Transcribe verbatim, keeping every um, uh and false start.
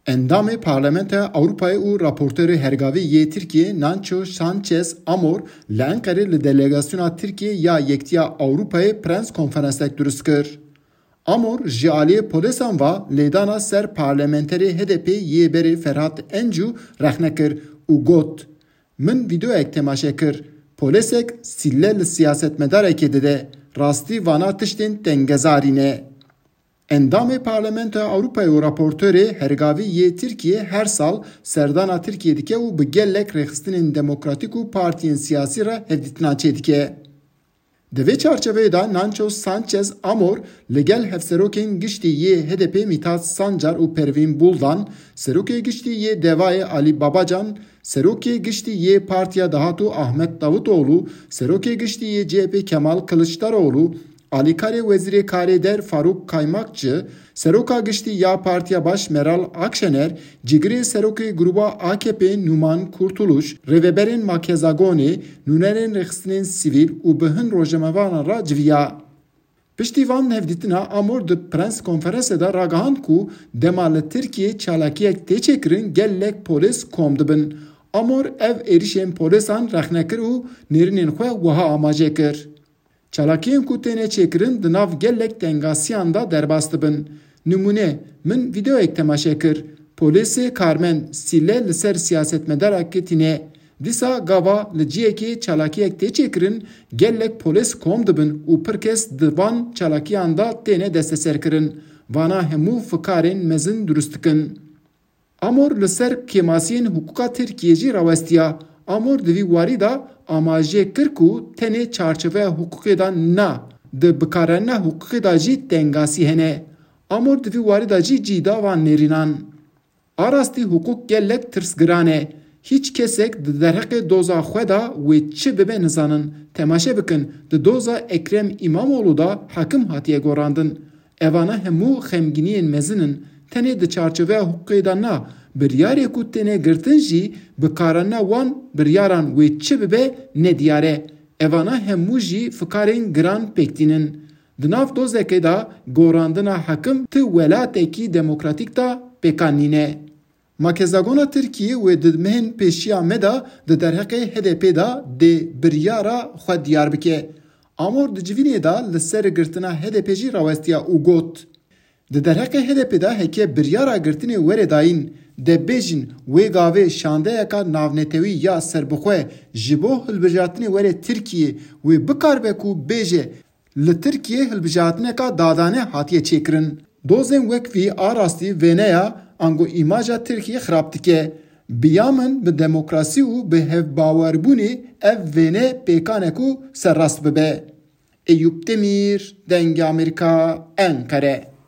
Endamê Parlamentoya Ewropayê û raportorê hergavî yê Tirkiyê Nacho Sanchez Amor li Enqerê li delegasyona Tirkiyê ya Yektiya Ewropayê prens konferansek dirust kir. Amor ji aliyê polêsan ve lêdana ser parlamenterê H D P yê berê Ferhat Encu rexne kir û got, Min vîdeoyek temaşe kir. Polêsek sîle li siyasetmedarekê dide. Rastî vana tiştên tengezarî ne. Endamê Parlamentoya Ewropayê û raportorê hergavî yê Tirkiyê her sal serdana Tirkiyê dike û bi gelek rêxistinên demokratîk û partiyên siyasî re hevdîtina çêdike. Di vê çarçeveyê de Nacho Sanchez Amor li gel hevserokên giştî yê H D P Mithat Sancar û Pervîn Buldan, serokê giştî yê Devayê Alî Babacan, serokê giştî yê Partiya Dahatû Ahmet Davutoğlu, serokê giştî yê C H P Kemal Kılıçdaroğlu, alîkarê wezîrê karê der Faruk Kaymakçı, seroka giştî ya Partiya Baş Meral Akşener, cîgirê serokê grûba A K P Numan Kurtuluş, rêveberên Makezagonê, nûnerên rêxistinên sivîl û bi hin rojnamevanan re civiya. Piştî van hevdîtina Amor di prens konferansê de ragihand ku dema li Tirkiyê çalakiyek tê çêkirin gelek polês kom dibin. Amor ev êrişên polêsan rexne kir û nêrînên xwe wiha amaje kir. Çalakiyên ku têne çêkirin di nav gelek tengasiyan de derbas dibin. Nimûne, min vîdeoyek temaşe kir. Polêsê karmend sîle li ser siyasetmedarekê tîne. Dîsa gava li ciyekê çalakiyek tê çêkirin, gelek polês kom dibin û pir kes di van çalakiyan de têne desteserkirin. Vana hemû fikarên mezin dirust dikin. Amor li ser kêmasiyên hiqûqa Tirkiyê jî rawestiya. Amor di vî warî de amaje kir ku tenê çarçoveya hiqûqê de na, di bikaranîna hiqûqê de jî tengasî hene. Amor di vî warî de jî cî da van nêrînan. A rastî hiqûq gelek tirsgiran e. Hîç kesek di derheqê doza xwe de wê çi bibe nizanin. Temaşe bikin, di doza Ekrem Îmamoğlu de hekim hatiye gorandin. Evana hemû xemgîniyên mezin in. Tenê di çarçoveya hiqûqê de na, biryarê ku têne girtin jî bikaranîna wan biryaran wê çi bibe nediyar e. Evana hemû jî fikarên giran pêk tînin. Di nav dozekê de gorandina hekim ti welatekî demokratîk de pêkan nîne. Makezagona Tirkiyê wê di mehên pêşiya me de di derheqê H D P de dê biryara xwe diyar bike. Amor di civînê de li ser girtina H D P jî rawestiya û got, Di derheqê H D P de heke biryara girtinê were dayîn, de bêjin wê gavê şandeyeka navnetewî ya serbixwe ji bo hilbijartinê were Tirkiyê wê bikaribe ku bêje, Li Tirkiyê hilbijartineka dadane hatiye çêkirin. Dozên wek vî a rastî wêneya ango îmaja Tirkiyê xirab dike. Bi ya min bi demokrasî û bi hevbawerbûnê ev wêne pêkan e ku serrast bibe. Eyûp Demîr, Dengê Amerîka, Enqere.